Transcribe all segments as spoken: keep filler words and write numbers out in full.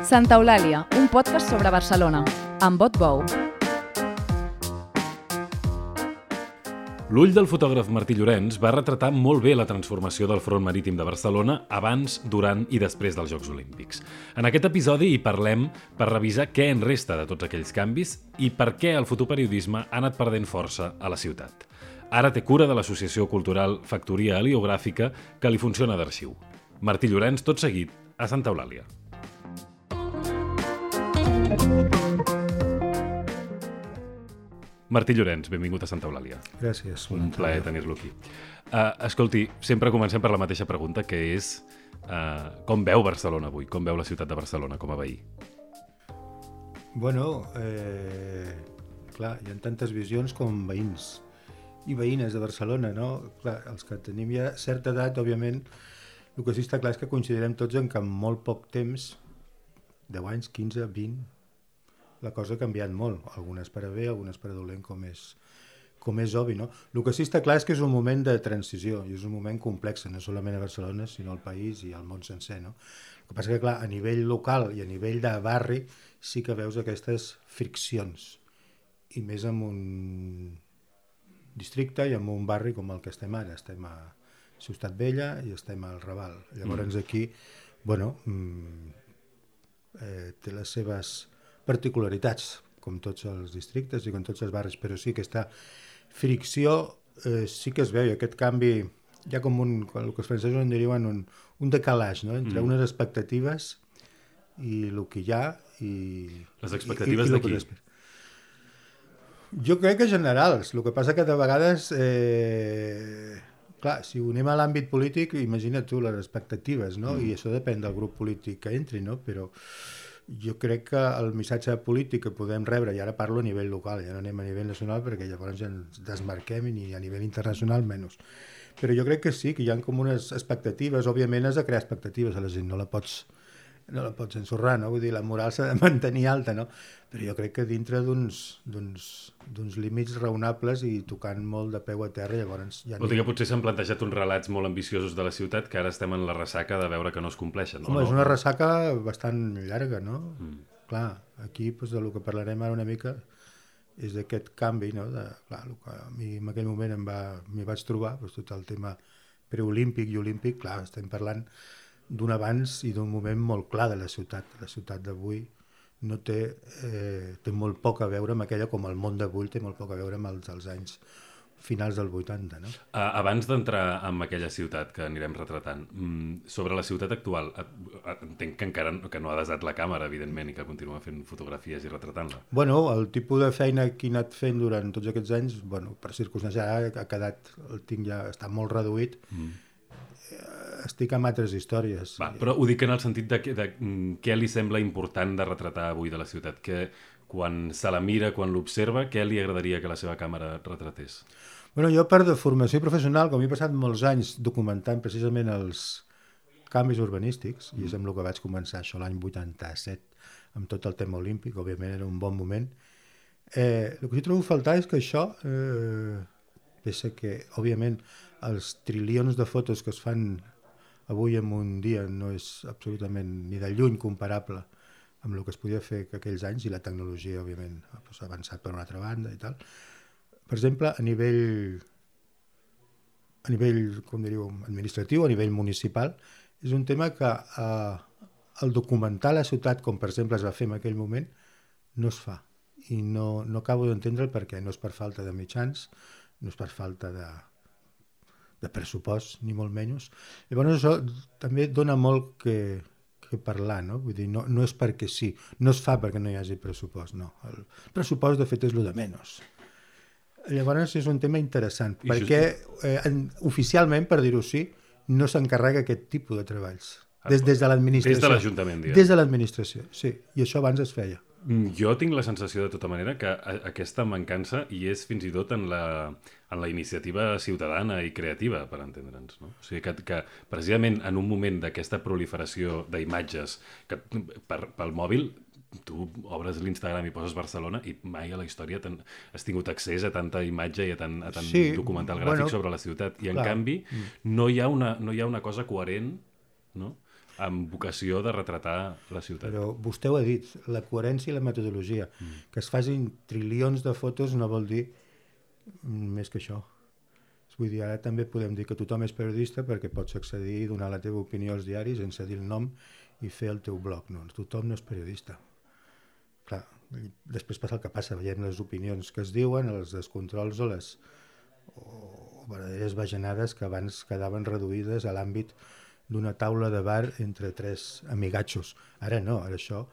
Santa Eulàlia, un podcast sobre Barcelona, amb Bot Bou. L'ull del fotògraf Martí Llorens va retratar molt bé la transformació del front marítim de Barcelona abans, durant i després dels Jocs Olímpics. En aquest episodi hi parlem per revisar què en resta de tots aquells canvis i per què el fotoperiodisme ha anat perdent força a la ciutat. Ara té cura de l'associació cultural Factoria Heliogràfica, que li funciona d'arxiu. Martí Llorens, tot seguit, a Santa Eulàlia. Martí Llorens, benvingut a Santa Eulàlia. Gràcies. Un plaer tenir-lo aquí. Uh, escolti, sempre comencem per la mateixa pregunta, que és uh, com veu Barcelona avui? Com veu la ciutat de Barcelona com a veí? Bueno, eh, clar, hi ha tantes visions com veïns i veïnes de Barcelona, no? Clar, els que tenim ja certa edat, òbviament, el que sí està clar és que coincidirem tots en que en molt poc temps, deu anys, quinze, vint, la cosa ha canviat molt, algunes per a bé, algunes per a dolent, com és, com és obvi, no? El que sí està clar és que és un moment de transició, i és un moment complex, no solament a Barcelona, sinó al país i al món sencer, no? El que passa que, clar, a nivell local i a nivell de barri sí que veus aquestes friccions, i més en un districte i en un barri com el que estem ara. Estem a Ciutat Vella i estem al Raval. Llavors aquí, bueno, eh, té les seves particularitats, com tots els districtes i com tots els barris, però sí que aquesta fricció eh, sí que es veu, i aquest canvi hi ha com un, el que els francesos en diuen un, un decalage, no? Entre mm. unes expectatives i el que hi ha i... Les expectatives de qui? Jo crec que generals, el que passa que de vegades eh, clar, si ho anem a l'àmbit polític, imagina't tu les expectatives, no? Mm. I això depèn del grup polític que entri, no? Però jo crec que el missatge polític que podem rebre, i ara parlo a nivell local, ja no anem a nivell nacional perquè llavors ja ens desmarquem, i a nivell internacional menys, però jo crec que sí, que hi ha com unes expectatives. Òbviament has de crear expectatives a la gent, no la pots, no la pots ensorrar, no? Vull dir, la moral s'ha de mantenir alta, no? Però jo crec que dintre d'uns, d'uns, d'uns límits raonables i tocant molt de peu a terra, llavors ja... Vol dir que potser s'han plantejat uns relats molt ambiciosos de la ciutat que ara estem en la ressaca de veure que no es compleixen, no? Home, és una ressaca bastant llarga, no? Mm. Clar, aquí doncs, del que parlarem ara una mica és d'aquest canvi, no? De, clar, el que a mi en aquell moment em va, m'hi vaig trobar, doncs, tot el tema preolímpic i olímpic, clar, estem parlant d'un abans i d'un moment molt clar de la ciutat. La ciutat d'avui no té, eh, té molt poc a veure amb aquella, com el món d'avui té molt poc a veure amb els, els anys finals del vuitanta, no? Uh, abans d'entrar en aquella ciutat que anirem retratant, mm, sobre la ciutat actual, entenc que encara no, que no ha desat la càmera, evidentment, i que continua fent fotografies i retratant-la. Bueno, el tipus de feina que he anat fent durant tots aquests anys, bueno, per circumstàncies, ara ha quedat, el tinc ja, està molt reduït, mm. estic amb altres històries. Va, però ho dic en el sentit de, de, de què li sembla important de retratar avui de la ciutat, que quan se la mira, quan l'observa, què li agradaria que la seva càmera retratés? Bueno, jo per de formació professional, com he passat molts anys documentant precisament els canvis urbanístics, mm. i és amb el que vaig començar això l'any vuitanta-set, amb tot el tema olímpic, òbviament era un bon moment, eh, el que sí trobo a faltar és que això, eh, pensa que, òbviament, els trilions de fotos que es fan avui en un dia no és absolutament ni de lluny comparable amb el que es podia fer aquells anys, i la tecnologia, òbviament, ha avançat per una altra banda i tal. Per exemple, a nivell, a nivell com diríeu, administratiu, a nivell municipal, és un tema que eh, el documentar la ciutat, com per exemple es va fer en aquell moment, no es fa. I no, no acabo d'entendre el perquè. No és per falta de mitjans, no és per falta de, de pressupost, ni molt menys. Llavors això també dona molt que, que parlar, no? Vull dir, no, no és perquè sí, no es fa perquè no hi hagi pressupost, no. El pressupost, de fet, és el de menys. Llavors és un tema interessant, I perquè eh, en, oficialment, per dir-ho així, no s'encarrega aquest tipus de treballs. Des, des de l'administració. Des de l'Ajuntament, diguem. Des de l'administració, sí. I això abans es feia. Jo tinc la sensació, de tota manera, que aquesta mancança hi és fins i tot en la, en la iniciativa ciutadana i creativa, per entendre'ns, no? O sigui, que, que precisament en un moment d'aquesta proliferació d'imatges que per, pel mòbil, tu obres l'Instagram i poses Barcelona i mai a la història has tingut accés a tanta imatge i a tant, a tant sí, documental gràfic bueno, sobre la ciutat. I en clar. canvi no hi ha una, no hi ha una cosa coherent, no? amb vocació de retratar la ciutat. Però vostè ho ha dit, la coherència i la metodologia. Mm. Que es facin trilions de fotos no vol dir més que això. Vull dir, ara també podem dir que tothom és periodista perquè pots accedir i donar la teva opinió als diaris sense dir el nom i fer el teu blog. No, tothom no és periodista. Clar, després passa el que passa, veiem les opinions que es diuen, els descontrols o les o verdaderes bajanades que abans quedaven reduïdes a l'àmbit d'una taula de bar entre tres amigatxos. Ara no, ara això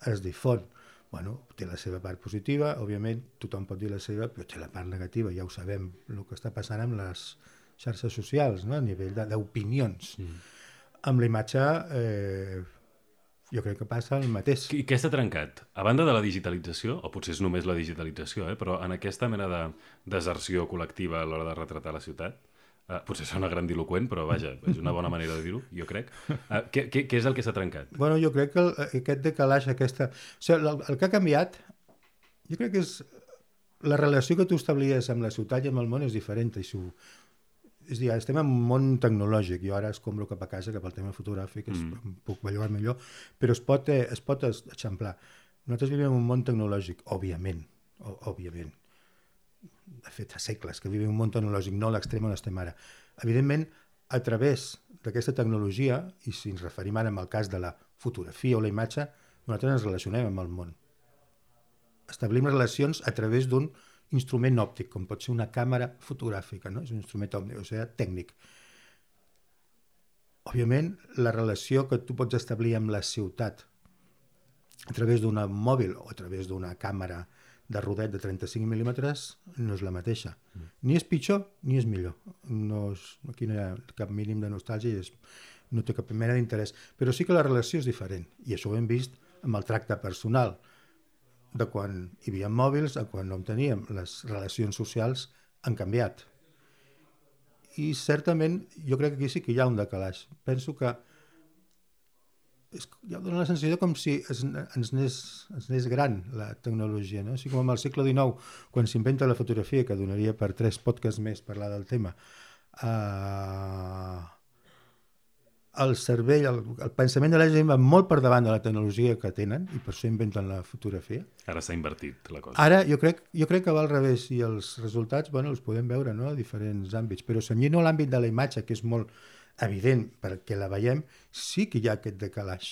es difon. Bueno, té la seva part positiva, òbviament tothom pot dir la seva, però té la part negativa, ja ho sabem, el que està passant amb les xarxes socials, no? A nivell d'opinions. Mm. Amb la imatge, eh, jo crec que passa el mateix. I què està trencat? A banda de la digitalització, o potser és només la digitalització, eh, però en aquesta mena de deserció col·lectiva a l'hora de retratar la ciutat, Uh, potser sona grandiloqüent, però vaja, és una bona manera de dir-ho, jo crec. Uh, què, què, què és el que s'ha trencat? Bueno, jo crec que el, aquest decalaix, aquesta... O sigui, el, el que ha canviat, jo crec que és la relació que tu establies amb la ciutat i amb el món és diferent. I su... És a dir, estem en un món tecnològic, jo ara escombro cap a casa, cap al tema fotogràfic, mm. es, puc bellugar millor, però es pot, eh, es pot eixamplar. Nosaltres vivim en un món tecnològic, òbviament, ó, òbviament. De fet, fa segles que vivim un món tecnològic, no a l'extrem on estem ara. Evidentment, a través d'aquesta tecnologia, i si ens referim ara al cas de la fotografia o la imatge, nosaltres ens relacionem amb el món. Establim relacions a través d'un instrument òptic, com pot ser una càmera fotogràfica, no? És un instrument òptic, o sigui, tècnic. Òbviament, la relació que tu pots establir amb la ciutat a través d'un mòbil o a través d'una càmera de rodet de trenta-cinc mil·límetres no és la mateixa. Mm. Ni és pitjor ni és millor. No és, aquí no hi ha cap mínim de nostàlgia i és, no té cap mena d'interès. Però sí que la relació és diferent. I això ho hem vist amb el tracte personal. De quan hi havia mòbils a quan no en teníem. Les relacions socials han canviat. I certament jo crec que aquí sí que hi ha un decalaix. Penso que és, ja dona la sensació com si es, ens, anés, ens anés gran la tecnologia, no? Així com amb el segle dinou, quan s'inventa la fotografia, que donaria per tres podcasts més parlar del tema, uh, el cervell, el, el pensament de la gent va molt per davant de la tecnologia que tenen i per això inventen la fotografia. Ara s'ha invertit la cosa. Ara jo crec, jo crec que va al revés i els resultats, bueno, els podem veure, no?, a diferents àmbits, però senyint-ho a l'àmbit de la imatge, que és molt evident perquè la veiem, sí que hi ha aquest decalaix.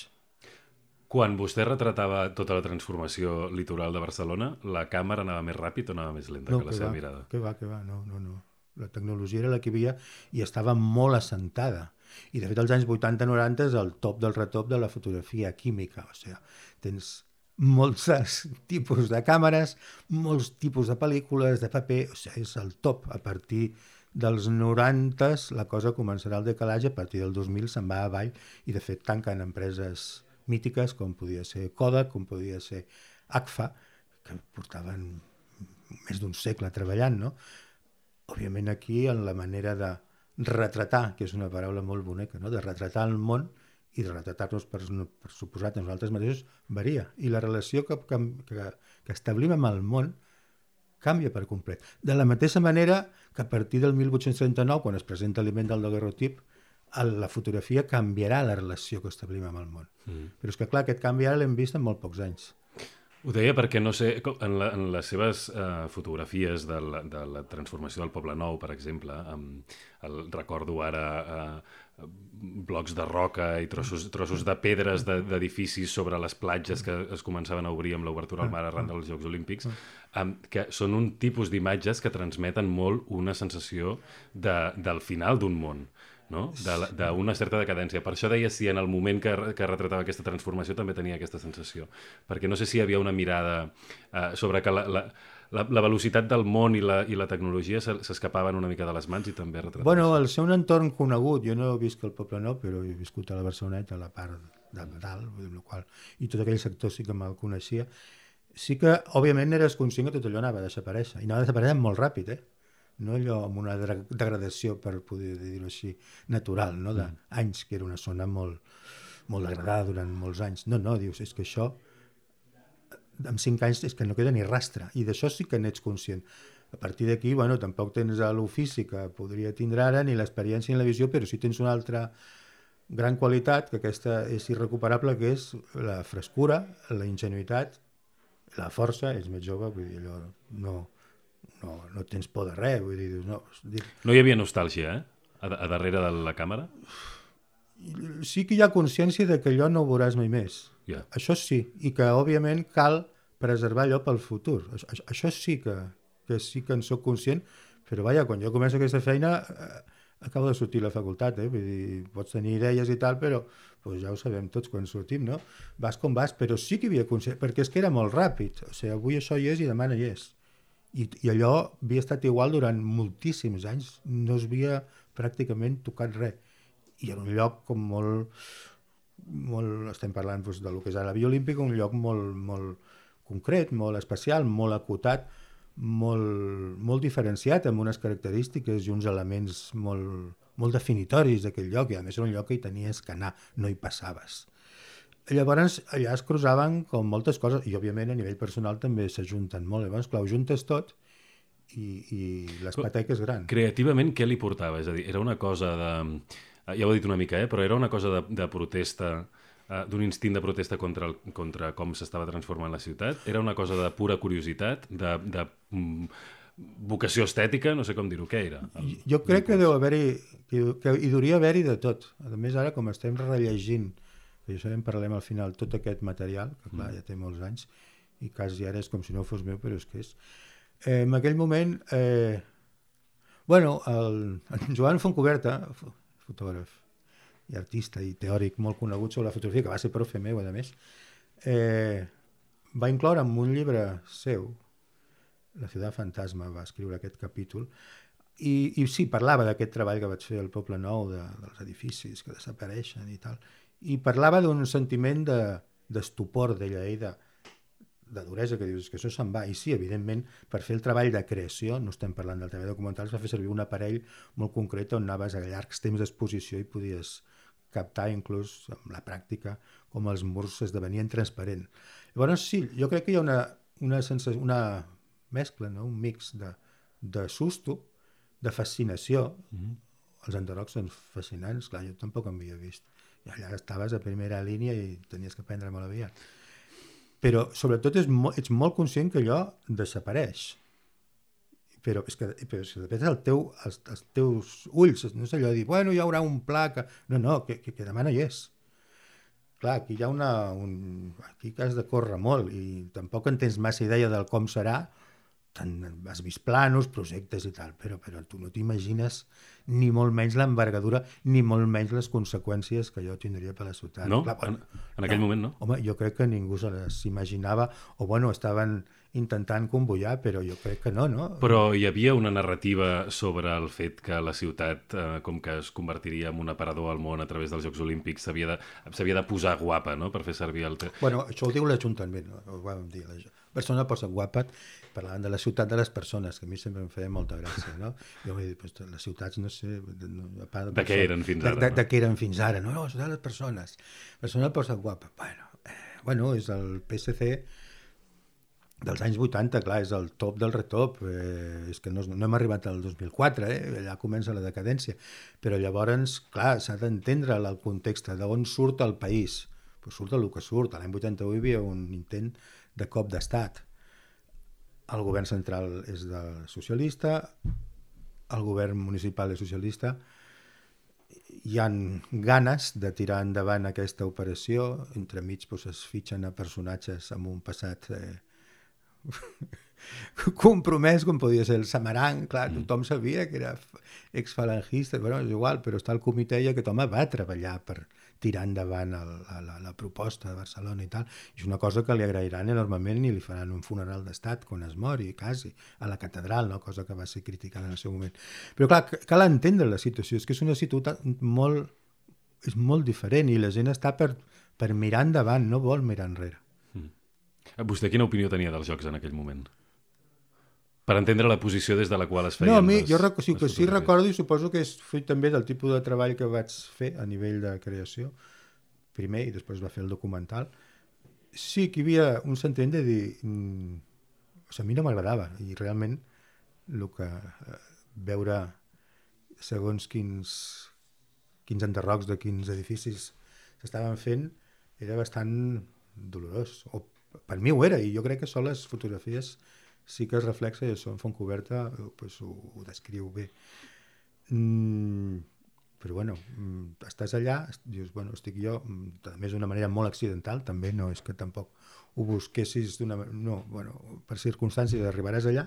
Quan vostè retratava tota la transformació litoral de Barcelona, la càmera anava més ràpid o anava més lenta no, que la que seva va, mirada? Que va, que va, no, no, no. La tecnologia era la que hi havia i estava molt assentada. I de fet als anys vuitanta noranta és el top del retop de la fotografia química. O sigui, tens molts tipus de càmeres, molts tipus de pel·lícules, de paper, o sigui, és el top. A partir dels norantes la cosa començarà el decalatge, a partir del dos mil se'n va avall i de fet tanquen empreses mítiques com podia ser Kodak, com podia ser Agfa, que portaven més d'un segle treballant, no? Òbviament aquí en la manera de retratar, que és una paraula molt bonica, no? De retratar el món i de retratar-nos per, per suposat a nosaltres mateixos varia. I la relació que, que, que establim amb el món canvia per complet. De la mateixa manera que a partir del mil vuit-cents trenta-nou, quan es presenta l'invent del daguerrotip, la fotografia canviarà la relació que establim amb el món. Mm. Però és que, clar, aquest canvi ara l'hem vist en molt pocs anys. Ho deia perquè, no sé, en, la, en les seves uh, fotografies de la, de la transformació del Poble Nou, per exemple, amb el, recordo ara uh, blocs de roca i trossos, trossos de pedres d'edificis sobre les platges que es començaven a obrir amb l'obertura al mar arran dels Jocs Olímpics, um, que són un tipus d'imatges que transmeten molt una sensació de, del final d'un món, no? D'una certa decadència. Per això deia si en el moment que, que retratava aquesta transformació també tenia aquesta sensació. Perquè no sé si hi havia una mirada uh, sobre que la, la, la, la velocitat del món i la, i la tecnologia s'escapaven una mica de les mans i també retrataven. Bueno, al ser un entorn conegut, jo no he viscut al Poble Nou, però he viscut a la Barceloneta, a la part de dalt, amb la qual, i tot aquell sector sí que me'l coneixia. Sí que, òbviament, eres conscient que tot allò anava a desaparèixer. I anava a desaparèixer molt ràpid, eh? No allò amb una degradació, per poder dir-ho així, natural, no? D'anys, que era una zona molt, molt degradada durant molts anys. No, no, dius, és que això, en cinc anys, és que no queda ni rastre, i d'això sí que n'ets conscient. A partir d'aquí, bueno, tampoc tens l'ofici que podria tindre ara, ni l'experiència ni la visió, però sí tens una altra gran qualitat, que aquesta és irrecuperable, que és la frescura, la ingenuïtat, la força, és més jove, vull dir, allò no, no, no tens por de res, vull dir, no, dir... No hi havia nostàlgia, eh? A, a darrere de la càmera? Sí que hi ha consciència de que allò no ho veuràs mai més. Yeah. Això sí, i que òbviament cal preservar allò pel futur. Això, això sí que, que sí que en soc conscient, però vaja, quan jo començo aquesta feina eh, acabo de sortir a la facultat, eh? Vull dir, pots tenir idees i tal, però pues ja ho sabem tots quan sortim, no? Vas com vas, però sí que hi havia consciència, perquè és que era molt ràpid, o sigui, avui això hi és i demà no hi és. I, i allò havia estat igual durant moltíssims anys, no es havia pràcticament tocat res. I era un lloc com molt, molt estem parlant doncs, del que és la Via Olímpica, un lloc molt, molt concret, molt especial, molt acotat, molt, molt diferenciat, amb unes característiques i uns elements molt, molt definitoris d'aquell lloc, i a més era un lloc que hi tenies que anar, no hi passaves. Llavors allà es cruzaven com moltes coses, i òbviament a nivell personal també s'ajunten molt. Llavors, clar, ho juntes tot i, i l'espeteca és gran. Creativament, què li portava? És a dir, era una cosa de... Ja ho he dit una mica, eh? Però era una cosa de, de protesta, uh, d'un instint de protesta contra, el, contra com s'estava transformant la ciutat? Era una cosa de pura curiositat, de, de um, vocació estètica? No sé com dir-ho, què era? El, jo crec que deu haver-hi, que, que hi hauria haver-hi de tot. A més, ara, com estem rellegint, que jo sabem, parlem al final, tot aquest material, que clar, ja té molts anys, i quasi ara és com si no fos meu, però és que és... Eh, en aquell moment, eh, bueno, el, el Joan Fontcoberta, fotògraf i artista i teòric molt conegut sobre la fotografia, que va ser profe meu, a més, eh, va incloure en un llibre seu, La ciutat fantasma, va escriure aquest capítol, i, i sí, parlava d'aquest treball que vaig fer al Poble Nou, de, dels edificis que desapareixen i tal, i parlava d'un sentiment de, d'estupor d'ella, i de, de duresa, que dius que això se'n va. I sí, evidentment, per fer el treball de creació, no estem parlant del treball documental, es va fer servir un aparell molt concret on anaves a llargs temps d'exposició i podies captar inclús amb la pràctica com els murs esdevenien transparents. Llavors sí, jo crec que hi ha una, una, sensació, una mescla, no? Un mix de, de susto, de fascinació. Mm-hmm. Els enderrocs són fascinants, clar, jo tampoc em havia vist. I allà estaves a primera línia i tenies que prendre molt aviat. Però sobretot és mo- ets molt conscient que allò desapareix. Però és que, però és que depèn del teu, els, els teus ulls, no és allò de dir, bueno, hi haurà un pla que... No, no, que, que, que demà no hi és. Clar, aquí hi ha una... Un... Aquí que has de córrer molt i tampoc en tens massa idea del com serà. Tant, has vist planos, projectes i tal, però, però tu no t'imagines ni molt menys l'envergadura, ni molt menys les conseqüències que allò tindria per la ciutat. No? Clar, bueno, en, en aquell no. moment no? Home, jo crec que ningú se les imaginava, o bueno, estaven intentant convoiar, però jo crec que no, no? Però hi havia una narrativa sobre el fet que la ciutat, eh, com que es convertiria en un aparador al món a través dels Jocs Olímpics, s'havia de, s'havia de posar guapa, no?, per fer servir el... Bueno, això ho diu l'Ajuntament, no? Ho vam dir. La persona posa guapa, parlant de la ciutat de les persones, que a mi sempre em feia molta gràcia, no? Jo vull dir, pues, les ciutats, no sé... No, a part de, de què eren fins ara, de, de, no? De què eren fins ara, no? No, la ciutat de les persones. La persona posa guapa. Bueno, eh, bueno, és el P S C dels anys vuitanta, clar, és el top del retop, eh, és que no, no hem arribat al dos mil quatre, eh, allà comença la decadència, però llavors, clar, s'ha d'entendre el context d'on surt el país, pues surt el que surt. L'any vuitanta-u hi havia un intent de cop d'estat, el govern central és del socialista, el govern municipal és socialista, hi han ganes de tirar endavant aquesta operació, entremig pues, es fitxen a personatges amb un passat eh, compromès, com podia ser el Samaranc, clar, tothom sabia que era exfalangista, bueno, és igual, però està el comitè i aquest home va treballar per tirar endavant el, la, la, la proposta de Barcelona i tal, i és una cosa que li agrairan enormement i li faran un funeral d'estat quan es mori, quasi, a la catedral, no? Cosa que va ser criticada en el seu moment. Però clar, cal entendre la situació, és que és una ciutat molt, és molt diferent i la gent està per, per mirar endavant, no vol mirar enrere. Vostè quina opinió tenia dels jocs en aquell moment? Per entendre la posició des de la qual es feien no, a mi, les, jo rec- sí, les que sí recordo i suposo que és fruit també del tipus de treball que vaig fer a nivell de creació, primer i després va fer el documental. Sí que hi havia un sentiment de dir... Mm, o sigui, a mi no m'agradava i realment el que eh, veure segons quins, quins enderrocs de quins edificis s'estaven fent, era bastant dolorós. O per mi ho era, i jo crec que són les fotografies sí que es reflexa i això en Fontcoberta pues, ho, ho descriu bé. Mm, però bueno, estàs allà, dius, bueno, estic jo, a més d'una manera molt accidental, també no és que tampoc ho busquessis d'una... No, bueno, per circumstàncies arribaràs allà,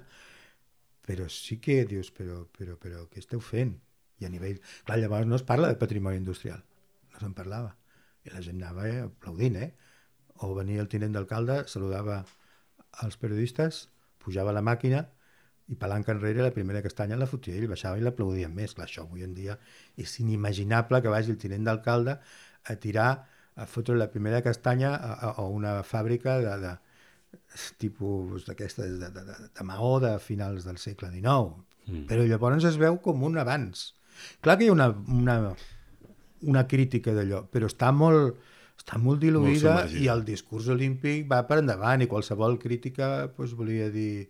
però sí que dius, però, però, però què esteu fent? I a nivell... Clar, llavors no es parla de patrimoni industrial, no se'n parlava. I la gent anava eh, aplaudint, eh? O venia el tinent d'alcalde, saludava als periodistes, pujava a la màquina i palanca enrere la primera castanya la fotia ell, baixava i l'aplaudien més. Clar, això avui en dia és inimaginable que vagi el tinent d'alcalde a tirar, a fotre la primera castanya a, a, a una fàbrica de, de tipus d'aquestes de, de, de, de maó de finals del segle dinou. Mm. Però llavors es veu com un avanç. Clar que hi ha una, una, una crítica d'allò, però està molt, està molt diluïda molt i el discurs olímpic va per endavant i qualsevol crítica pues, volia dir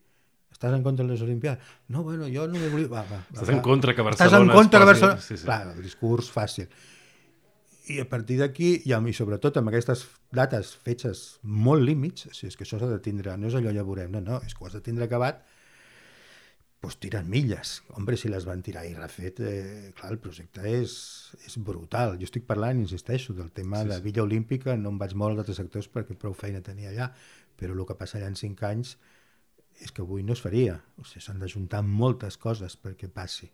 estàs en contra de les Olimpiades? No, bueno, jo no me volia... Va, va, estàs va, en contra que Barcelona... Estàs en contra posi... que Barcelona... Sí, sí. Clar, el discurs fàcil. I a partir d'aquí, i, i sobretot amb aquestes dates fetges molt límits, o sigui, és que això s'ha de tindre, no és allò ja veurem, no, no, és que ho has de tindre acabat, doncs tiren milles. Hombre, si les van tirar i refet, eh, clar, el projecte és, és brutal. Jo estic parlant, insisteixo, del tema sí, sí. de Villa Olímpica, no em vaig molt als altres sectors perquè prou feina tenia allà, però el que passa allà en cinc anys és que avui no es faria. O sigui, s'han d'ajuntar moltes coses perquè passi.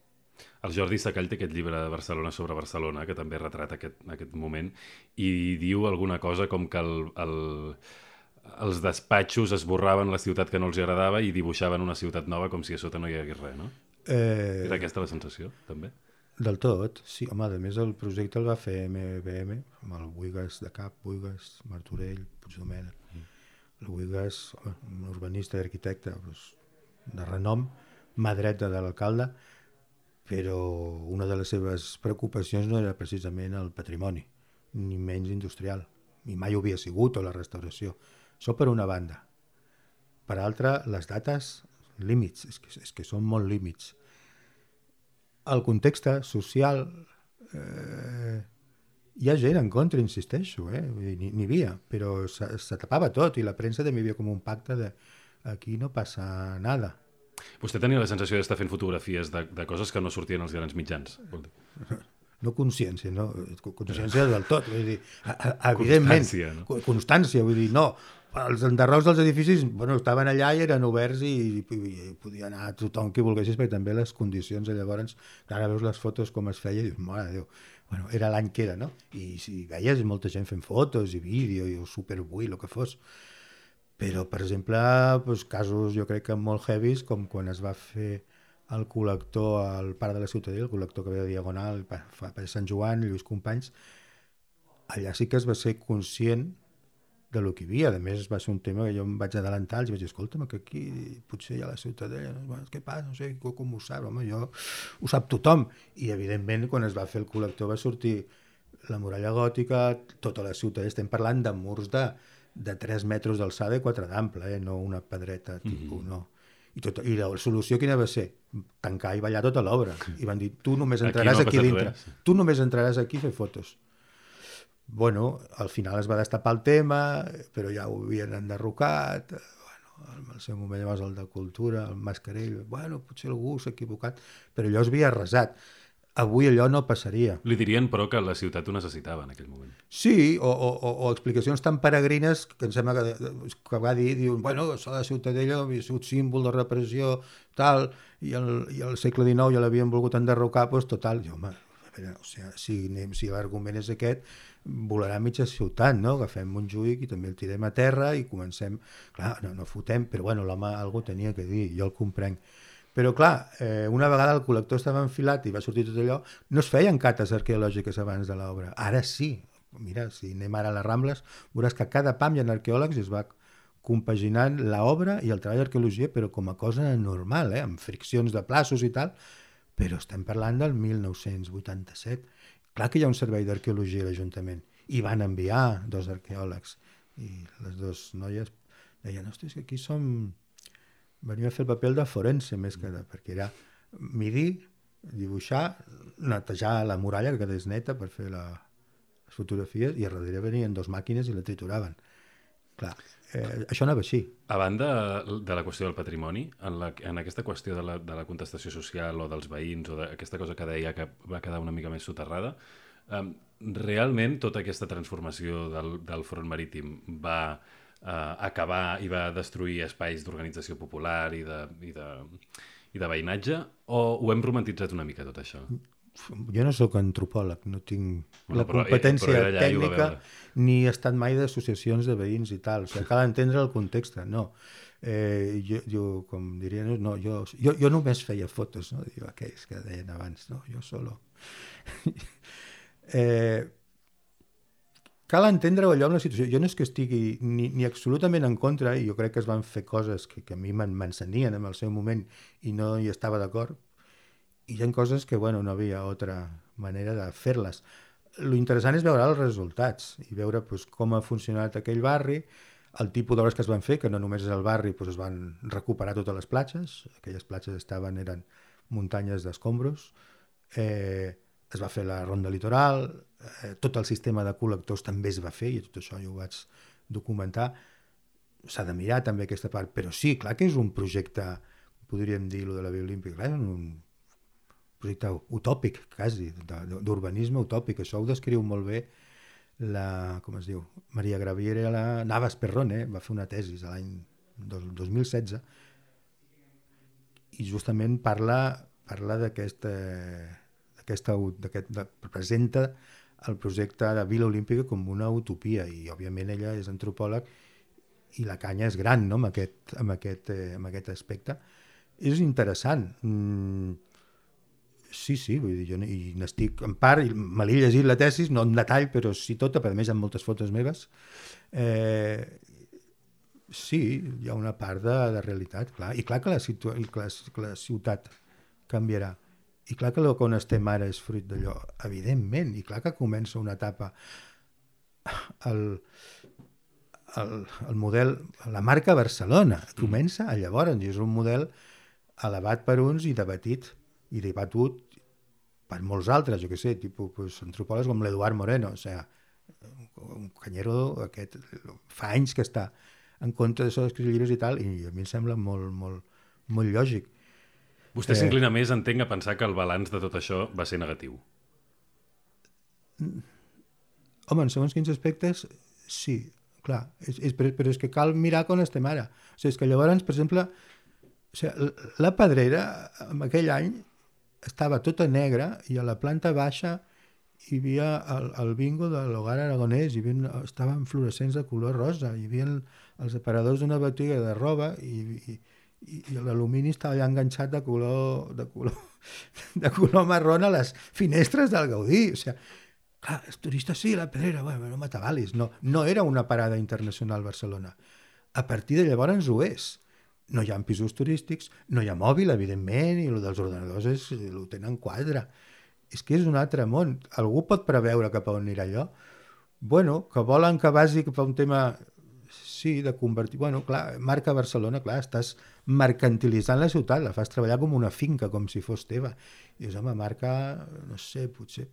El Jordi Sacall té aquest llibre de Barcelona sobre Barcelona, que també retrata aquest, aquest moment, i diu alguna cosa com que el, el, els despatxos esborraven la ciutat que no els agradava i dibuixaven una ciutat nova com si a sota no hi hagués res, no? Eh... Era aquesta la sensació, també? Del tot, sí. Home, a més el projecte el va fer M B M, amb el Buigas de cap, Buigas, Martorell, Puigdomènech. Mm. El Buigas, un urbanista i arquitecte doncs, de renom, mà dreta de l'alcalde, però una de les seves preocupacions no era precisament el patrimoni, ni menys industrial, i mai ho havia sigut, o la restauració. Això per una banda. Per altra, les dates, límits, és que, és que són molt límits. El context social, eh, hi ha gent en contra, insisteixo, eh? N'hi havia, però se, se tapava tot, i la premsa també hi havia com un pacte de aquí no passa nada. Vostè tenia la sensació d'estar fent fotografies de, de coses que no sortien als grans mitjans? No consciència, no? Consciència del tot. Vull dir, evidentment, constància, no? Constància, vull dir, no. Els enderrocs dels edificis bueno, estaven allà i eren oberts i, i, i podia anar tothom qui volguessis, perquè també les condicions de llavors, ara veus les fotos com es feia i dius, mare de Déu, bueno, era l'any que era, no? I si veies molta gent fent fotos i vídeo i superbui, el que fos. Però, per exemple, doncs, casos jo crec que molt heavies, com quan es va fer el col·lector al Parc de la Ciutadella, el col·lector que ve de Diagonal, fa per Sant Joan, Lluís Companys, allà sí que es va ser conscient de lo que hi havia. A més, va ser un tema que jo em vaig adelantar, i vaig dir, escolta'm, que aquí potser hi ha la Ciutadella, no? Què passa? No sé, com ho sap? Home, jo, ho sap tothom. I, evidentment, quan es va fer el col·lector va sortir la muralla gòtica, tota la Ciutadella, estem parlant de murs de de tres metres d'alçada i quatre d'ample, eh? No una pedreta tipus, mm-hmm. no. I, tot, I la solució quina va ser? Tancar i ballar tota l'obra. I van dir, tu només entraràs aquí, no aquí dintre. Res. Tu només entraràs aquí a fer fotos. Bueno, al final es va destapar el tema, però ja ho havien enderrocat. Bueno, al seu moment llavors el de Cultura, el Mascarell, bueno, potser algú s'ha equivocat, però allò es havia arrasat. Avui allò no passaria. Li dirien, però, que la ciutat ho necessitava en aquell moment. Sí, o, o, o explicacions tan peregrines que em sembla que, que va dir, diuen, bueno, això de la Ciutadella havia sigut símbol de repressió, tal, i el, i el segle dinou ja l'havien volgut enderrocar, doncs total, jo, home, o sigui, si, si l'argument és aquest, volarà mitja ciutat, no? Agafem Montjuïc i també el tirem a terra i comencem, clar, no, no fotem, però bueno, l'home algú tenia que dir, jo el comprenc. Però, clar, eh, una vegada el col·lector estava enfilat i va sortir tot allò, no es feien cates arqueològiques abans de l'obra. Ara sí. Mira, si anem ara a les Rambles, veuràs que a cada pam hi ha arqueòlegs i es va compaginant l'obra i el treball d'arqueologia, però com a cosa normal, eh, amb friccions de plaços i tal, però estem parlant del mil nou-cents vuitanta-set. Clar que hi ha un servei d'arqueologia a l'Ajuntament. I van enviar dos arqueòlegs. I les dues noies deien, hòstia, és que aquí som... Venia a fer el paper de forense més que de, perquè era medir, dibuixar netejar la muralla que quedés neta per fer la, les fotografies, i a darrere venien dos màquines i la trituraven. Clar, eh, això anava així. A banda de la qüestió del patrimoni, en, la, en aquesta qüestió de la, de la contestació social o dels veïns o d'aquesta cosa que deia que va quedar una mica més soterrada, eh, realment tota aquesta transformació del, del front marítim va eh, acabar i va destruir espais d'organització popular i de, i, de, i de veïnatge, o ho hem romantitzat una mica tot això? Jo no sóc antropòleg, no tinc Bueno, la però- competència però era allà i ho va tècnica, veure. ni he estat mai d'associacions de veïns i tal. O sigui, cal entendre el context, no. Eh, jo, jo, com diria, no, jo, jo, jo només feia fotos, no? Diu, aquells que deien abans, no? Jo solo. eh, cal entendre allò en la situació. Jo no és que estigui ni, ni absolutament en contra, i jo crec que es van fer coses que, que a mi m'encenien en el seu moment i no hi estava d'acord, i hi ha coses que, bueno, no havia altra manera de fer-les. Lo interessant és veure els resultats i veure pues, com ha funcionat aquell barri, el tipus d'obres que es van fer, que no només és el barri, pues, es van recuperar totes les platges, aquelles platges estaven, eren muntanyes d'escombros, eh, es va fer la ronda litoral, eh, tot el sistema de col·lectors també es va fer, i tot això jo ho vaig documentar. S'ha de mirar també aquesta part, però sí, clar que és un projecte, podríem dir, lo de la Via Olímpica, clar, és un projecte utòpic, quasi, d'urbanisme utòpic. Això ho descriu molt bé la, com es diu, Maria Graviera la Navas Perrone, va fer una tesi l'any dos mil setze i justament parla, parla d'aquesta, d'aquesta, d'aquest, de, presenta el projecte de Vila Olímpica com una utopia, i òbviament ella és antropòleg i la canya és gran, no?, amb aquest, amb aquest, eh, amb aquest aspecte. És interessant. Mm, Sí, sí, vull dir, jo i n'estic en part, i me l'he llegit la tesis, no en detall, però sí tota, però a més hi ha moltes fotos meves. Eh, sí, hi ha una part de, de realitat, clar, i clar que la, situ, i que la, que la ciutat canviarà, i clar que el que on estem ara és fruit d'allò, evidentment, i clar que comença una etapa, el, el, el model, la marca Barcelona, comença a llavors, i és un model elevat per uns i debatit, i debatut per molts altres, jo què sé, tipus pues, antropòlegs com l'Eduard Moreno, o sigui, un canyero aquest, fa anys que està en contra d'això d'escriure llibres i tal, i a mi em sembla molt, molt, molt lògic. Vostè eh... s'inclina més, entenc, a pensar que el balanç de tot això va ser negatiu. Home, en segons quins aspectes, sí, clar, és, és, però, però és que cal mirar com estem ara. O sigui, és que llavors, per exemple, o sigui, la Pedrera, en aquell any, estava tota negra i a la planta baixa hi havia el, el bingo de l'Hogar Aragonès, hi havia, estaven fluorescents de color rosa, hi havia els aparadors d'una botiga de roba i, i, i l'alumini estava ja enganxat de color, de color, de color marró a les finestres del Gaudí. O sigui, clar, els turistes sí, la Pedrera, bueno, no m'atabalis. No, no era una parada internacional Barcelona. A partir de llavors ho és. No hi ha pisos turístics, no hi ha mòbil, evidentment, i el dels ordenadors és, ho tenen quadre. És que és un altre món. Algú pot preveure cap a on anirà allò? Bueno, que volen que vagi cap a un tema, sí, de convertir... Bueno, clar, marca Barcelona, clar, estàs mercantilitzant la ciutat, la fas treballar com una finca, com si fos teva. I és, home, marca, no sé, potser,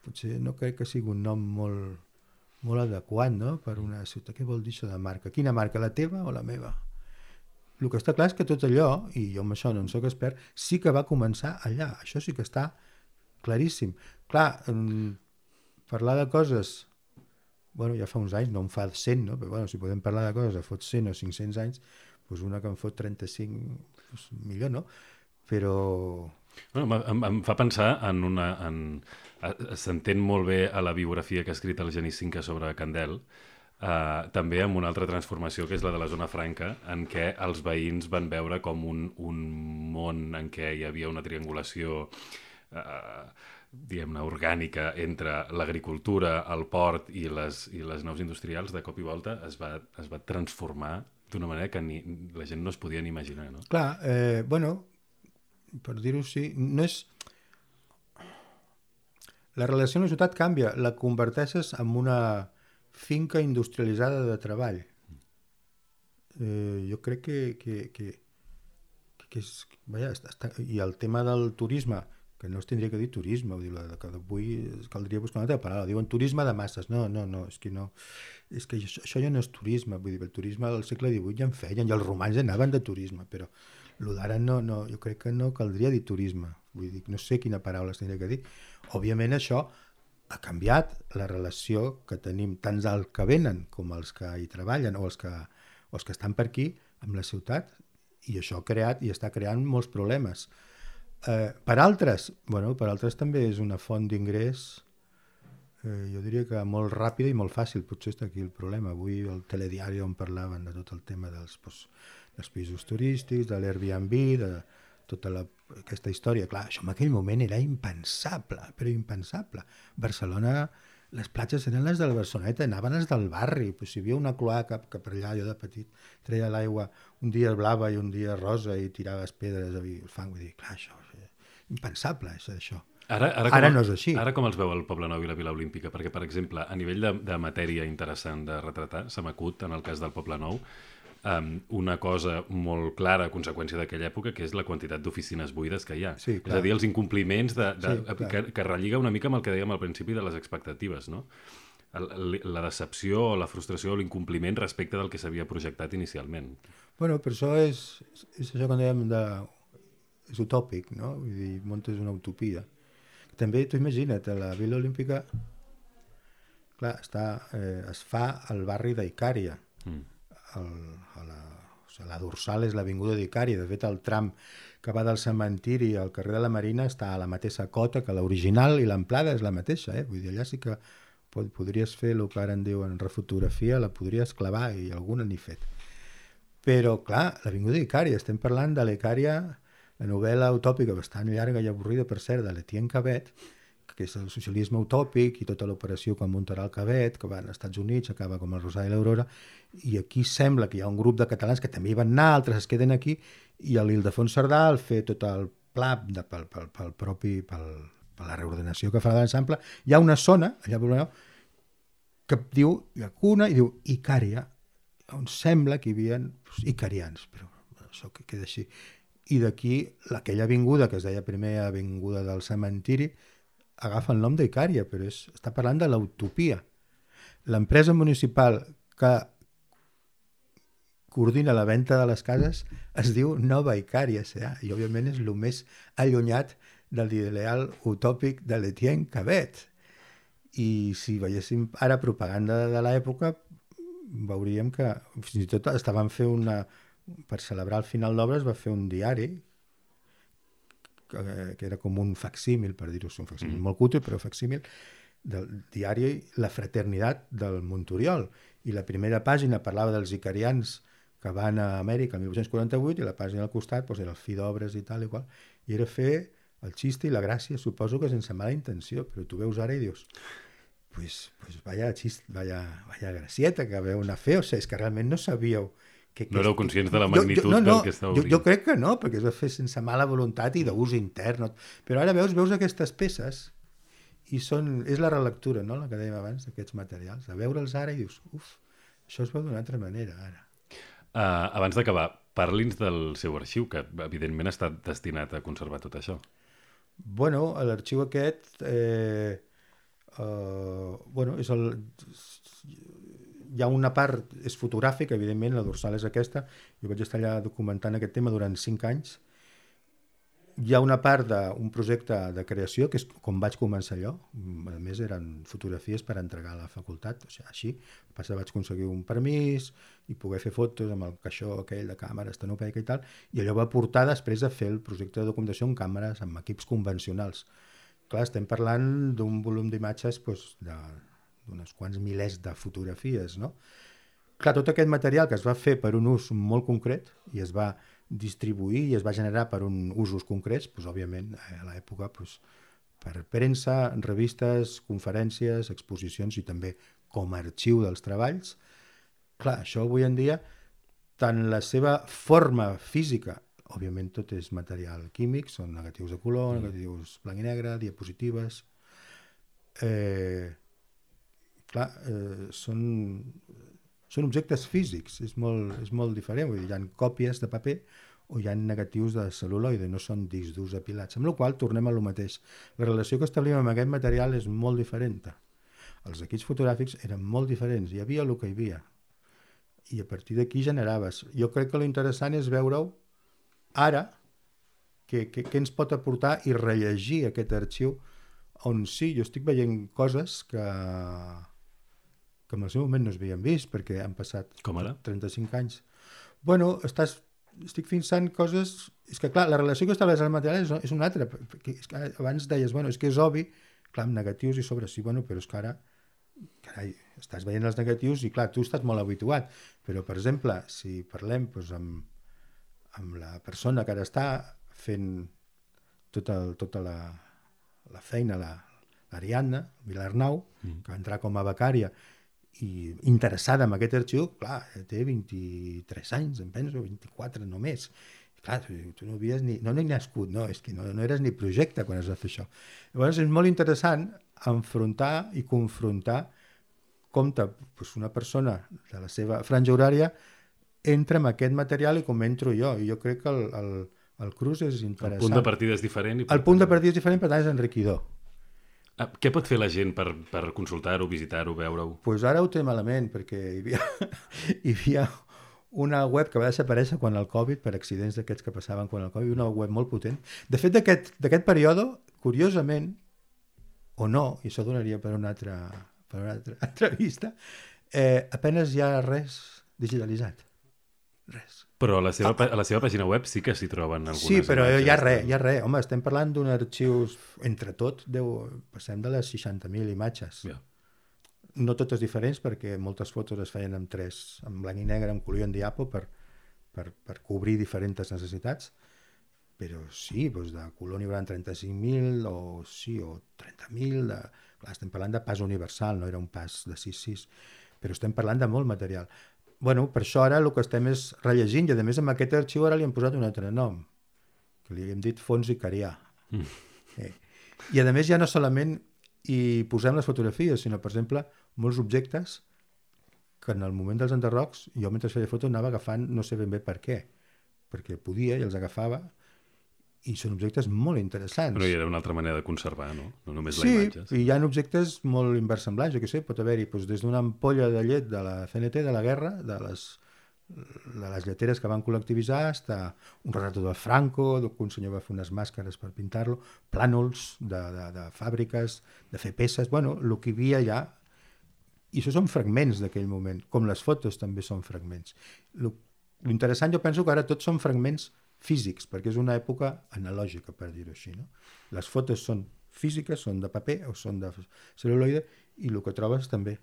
potser no crec que sigui un nom molt, molt adequat, no?, per una ciutat. Què vol dir això de marca? Quina marca, la teva o la meva? El que està clar és que tot allò, i jo amb això no en soc expert, sí que va començar allà. Això sí que està claríssim. Clar, eh, parlar de coses, bueno, ja fa uns anys, no en fa cent, no? Però bueno, si podem parlar de coses de fot cent o cinc-cents anys, doncs una que en fot trenta-cinc, doncs millor, no? Però... Bueno, em, em fa pensar en una... En... S'entén molt bé a la biografia que ha escrit el Genís Cinca sobre Candel, Uh, també amb una altra transformació que és la de la zona franca, en què els veïns van veure com un, un món en què hi havia una triangulació uh, diguem-ne orgànica entre l'agricultura, el port i les, i les naus industrials, de cop i volta es va, es va transformar d'una manera que ni, la gent no es podia ni imaginar, no? Clar, eh, bueno, per dir-ho així, no és... La relació amb la ciutat canvia, la converteixes en una finca industrialitzada de treball. Eh, jo crec que, que, que, que és... Vaja, està, i el tema del turisme, que no es tindria que dir turisme, vull dir, la que avui caldria buscar una altra paraula, diuen turisme de masses, no, no, no, és que no, és que això, això ja no és turisme, vull dir, el turisme al segle divuit ja en feien, i els romans anaven de turisme, però el d'ara no, no, jo crec que no caldria dir turisme, vull dir, no sé quina paraula es tindria que dir. Òbviament això ha canviat la relació que tenim tant els que venen com els que hi treballen o els que, o els que estan per aquí amb la ciutat, i això ha creat i està creant molts problemes. Eh, per altres, bueno, per altres també és una font d'ingrés, eh, jo diria que molt ràpida i molt fàcil, potser està aquí el problema. Avui el telediari on parlaven de tot el tema dels, doncs, dels pisos turístics, de l'Airbnb, de tota la, aquesta història. Clar, això en aquell moment era impensable, però impensable. Barcelona, les platges eren les de la Barceloneta, anaven les del barri, pues, si hi havia una cloaca que per allà jo de petit treia l'aigua un dia blava i un dia rosa i tiraves pedres i el fang, vull dir, clar, això és impensable, això. Ara, ara, ara com, no és així. Ara com els veu el Poble Nou i la Vila Olímpica? Perquè, per exemple, a nivell de, de matèria interessant de retratar, se m'acut, en el cas del Poble Nou, um, una cosa molt clara a conseqüència d'aquella època, que és la quantitat d'oficines buides que hi ha. Sí, és a dir, els incompliments de, de, sí, que, que relliga una mica amb el que dèiem al principi de les expectatives, no? La decepció o la frustració o l'incompliment respecte del que s'havia projectat inicialment. Bueno, però això és, és això que dèiem de... és utòpic, no? Vull dir, muntes una utopia. També, tu imagina't, la Vila Olímpica, clar, està, eh, es fa al barri d'Icària. Mm. El, a la, o sigui, la dorsal és l'avinguda d'Icària. De fet, el tram que va del cementiri al carrer de la Marina està a la mateixa cota que l'original i l'amplada és la mateixa. Eh? Vull dir, allà sí que pod podries fer el que ara en diuen refotografia, la podries clavar i alguna n'hi fet. Però, clar, l'avinguda d'Icària, estem parlant de l'Icària, la novel·la utòpica bastant llarga i avorrida, per cert, de l'Etienne Cabet, que és el socialisme utòpic i tota l'operació que muntarà el Cabet, que va als Estats Units, acaba com el Rosari i l'Aurora, i aquí sembla que hi ha un grup de catalans que també hi van anar, altres es queden aquí, i l'Ildefons Cerdà el fer tot el pla de, pel, pel, pel propi, pel, per la reordenació que farà de l'ensemble. Hi ha una zona, allà per Blanau, que diu, hi ha una, i diu Icària, on sembla que hi havia doncs, icarians, però això que queda així. I d'aquí, aquella avinguda, que es deia primer avinguda del cementiri, agafa el nom d'Icària, però és, està parlant de l'utopia. L'empresa municipal que coordina la venda de les cases es diu Nova Icària S A i òbviament és el més allunyat de l'ideal utòpic de l'Etienne Cabet. I si veiéssim ara propaganda de l'època, veuríem que fins i tot estaven fent una... per celebrar el final d'obra es va fer un diari que, que era com un facsímil, per dir-ho, un facsímil mm. molt cutre, però facsímil del diari La Fraternitat del Montoriol, i la primera pàgina parlava dels icarians que van a Amèrica el mil vuit-cents quaranta-vuit i la pàgina al costat doncs, era el fi d'obres i tal i qual, i era fer el xiste i la gràcia, suposo que sense mala intenció, però tu veus ara i dius pues, pues vaya xist, vaya, vaya gracieta que veu anar a fer, o sigui, és que realment no sabíeu que, que no éreu conscients de la magnitud jo, jo, no, no, del que estava obrint. Jo, jo crec que no, perquè es va fer sense mala voluntat i d'ús intern. Però ara veus veus aquestes peces i són, és la relectura, no? La que dèiem abans, d'aquests materials. A veure'ls ara i dius, uf, això es veu d'una altra manera ara. Uh, abans d'acabar, parli'ns del seu arxiu, que evidentment ha estat destinat a conservar tot això. Bueno, l'arxiu aquest... Eh, uh, bueno, és el... Hi ha una part, és fotogràfica, evidentment, la dorsal és aquesta, jo vaig estar allà documentant aquest tema durant cinc anys. Hi ha una part d'un projecte de creació, que és com vaig començar allò, a més eren fotografies per entregar a la facultat, o sigui, així, passa vaig aconseguir un permís i poder fer fotos amb el caixó aquell de càmera estenopeica i tal, i allò va portar després a fer el projecte de documentació amb càmeres, amb equips convencionals. Clar, estem parlant d'un volum d'imatges doncs, de... d'uns quants milers de fotografies, no? Clar, tot aquest material que es va fer per un ús molt concret i es va distribuir i es va generar per un usos concrets, doncs, òbviament, a l'època, doncs, per premsa, revistes, conferències, exposicions i també com a arxiu dels treballs. Clar, això avui en dia, tant la seva forma física, òbviament tot és material químic, són negatius de color, negatius blanc i negre, diapositives... Eh, clar, eh, són, són objectes físics, és molt, és molt diferent, vull dir, hi ha còpies de paper o hi ha negatius de cel·luloide, no són discs durs apilats, amb la qual tornem a lo mateix. La relació que establim amb aquest material és molt diferent. Els equips fotogràfics eren molt diferents, hi havia el que hi havia, i a partir d'aquí generaves. Jo crec que l'interessant és veure-ho ara, què ens pot aportar i rellegir aquest arxiu, on sí, jo estic veient coses que, que en el seu moment no es havien vist, perquè han passat Com ara? trenta-cinc anys. Bueno, estàs estic fixant coses... És que, clar, la relació que estableix el material és, és una altra. És que abans deies, bueno, és que és obvi, clar, amb negatius i sobre sí, bueno, però és que ara, carai, estàs veient els negatius i, clar, tu estàs molt habituat. Però, per exemple, si parlem doncs, amb, amb la persona que ara està fent tota, tota la, la feina, l'Ariadna Vilarnau, mm. que va entrar com a becària, i interessada en aquest arxiu, clar, té vint-i-tres anys, em penso, vint-i-quatre només. I clar, tu, tu no havies ni... No, no hi nascut, no, és que no, no eres ni projecte quan es va fer això. Llavors és molt interessant enfrontar i confrontar com pues, una persona de la seva franja horària entra en aquest material i com entro jo. I jo crec que el, el, el cruç és interessant. El punt de partida és diferent. I el punt de partida és diferent, per tant és enriquidor. Ah, què pot fer la gent per, per consultar-ho, visitar-ho, veure-ho? Doncs pues ara ho té malament, perquè hi havia, hi havia una web que va desaparèixer quan el Covid, per accidents d'aquests que passaven quan el Covid, una web molt potent. De fet, d'aquest període, curiosament, o no, i això donaria per una altra, per una altra entrevista, eh, apenas hi ha res digitalitzat. Res. Però a la seva, a la seva pàgina web sí que s'hi troben algunes sí, però imatges. hi ha res, hi ha res. Home, estem parlant d'un arxius, entre tot, deu, passem de les seixanta mil imatges. Yeah. No totes diferents, perquè moltes fotos es feien amb tres, en blanc i negre, amb color i en diapo, per, per, per cobrir diferents necessitats. Però sí, doncs de color n'hi hauran trenta-cinc mil, o sí, o trenta mil. De... Clar, estem parlant de pas universal, no era un pas de sis sis, però estem parlant de molt material. Bueno, per això ara el que estem és rellegint, i a més amb aquest arxiu ara li hem posat un altre nom, que li hem dit fons icarià. Mm. Eh. I a més ja no solament hi posem les fotografies, sinó, per exemple, molts objectes que en el moment dels enderrocs, jo mentre feia fotos anava agafant, no sé ben bé per què, perquè podia i els agafava, i són objectes molt interessants. Però hi era una altra manera de conservar, no? No només sí, la imatge. Sí, i hi ha objectes molt inversemblants, jo què sé, pot haver-hi doncs, des d'una ampolla de llet de la C N T, de la guerra, de les, de les lleteres que van col·lectivitzar, fins a un retrat de Franco, que un senyor va fer unes màscares per pintar-lo, plànols de, de, de fàbriques, de fer peces, bueno, el que hi havia ja, i això són fragments d'aquell moment, com les fotos també són fragments. L'interessant, jo penso que ara tots són fragments físics, perquè és una època analògica, per dir-ho així. No? Les fotos són físiques, són de paper o són de cel·luloide, i el que trobes també.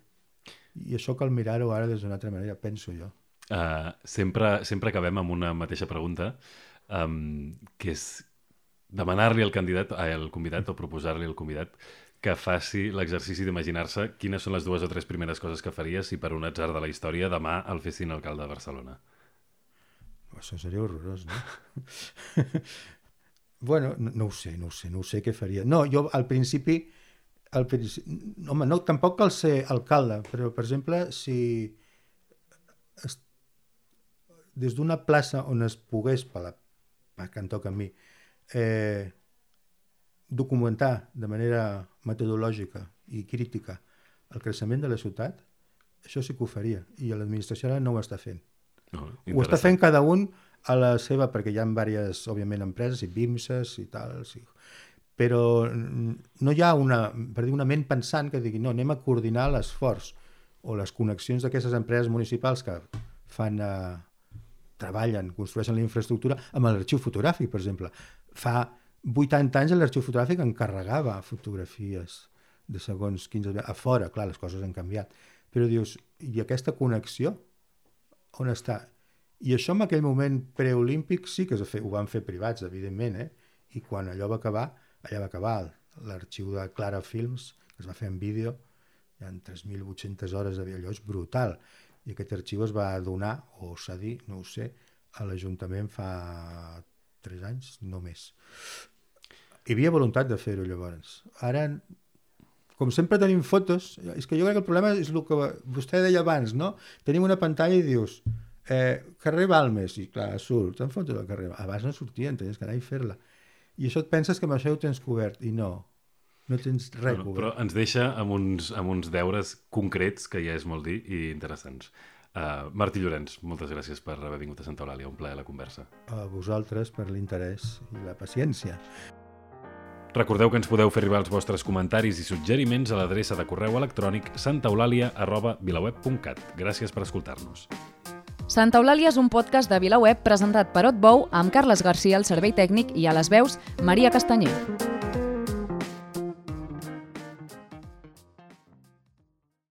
I això cal mirar-ho ara des d'una altra manera, penso jo. Uh, sempre, sempre acabem amb una mateixa pregunta, um, que és demanar-li al candidat, al convidat o proposar-li al convidat que faci l'exercici d'imaginar-se quines són les dues o tres primeres coses que faria si per un atzar de la història demà el fessin alcalde de Barcelona. Això seria horrorós, no? bueno, no, no ho sé, no ho sé, no ho sé què faria. No, jo al principi, al principi home, no, tampoc cal ser alcalde, però, per exemple, si es, des d'una plaça on es pogués, per la que em toca a mi, eh, documentar de manera metodològica i crítica el creixement de la ciutat, això sí que ho faria, i l'administració ara no ho està fent. Oh, ho està fent cada un a la seva, perquè hi ha diverses, òbviament, empreses i BIMSes i tal, sí. Però no hi ha una, per dir, una ment pensant que digui, no, anem a coordinar l'esforç o les connexions d'aquestes empreses municipals que fan, eh, treballen, construeixen la infraestructura amb l'arxiu fotogràfic, per exemple. Fa vuitanta anys l'arxiu fotogràfic encarregava fotografies de segons quinze... A fora, clar, les coses han canviat. Però dius, i aquesta connexió on està? I això en aquell moment preolímpic sí que es fer, ho van fer privats, evidentment, eh? I quan allò va acabar, allà va acabar l'arxiu de Clara Films, que es va fer en vídeo, hi ha tres mil vuit-centes hores, allò és brutal, i aquest arxiu es va donar, o cedir, no ho sé, a l'Ajuntament fa tres anys, no més. Hi havia voluntat de fer-ho llavors. Ara, com sempre tenim fotos, és que jo crec que el problema és el que vostè deia abans, no? Tenim una pantalla i dius, Eh, carrer Balmes, i clar, surt, en foto del carrer. Abans no sortien, tenies que anar i fer-la. I això et penses que amb això ho tens cobert, i no, no tens res Bueno, cobert. però ens deixa amb uns, amb uns deures concrets, que ja és molt dir, i interessants. Uh, Martí Llorenç, moltes gràcies per haver vingut a Santa Eulàlia, un plaer la conversa. A vosaltres per l'interès i la paciència. Recordeu que ens podeu fer arribar els vostres comentaris i suggeriments a l'adreça de correu electrònic santaeulàlia arroba vilaweb punt cat. Gràcies per escoltar-nos. Santa Eulàlia és un podcast de VilaWeb presentat per Otbou amb Carles Garcia al servei tècnic i a les veus Maria Castanyer.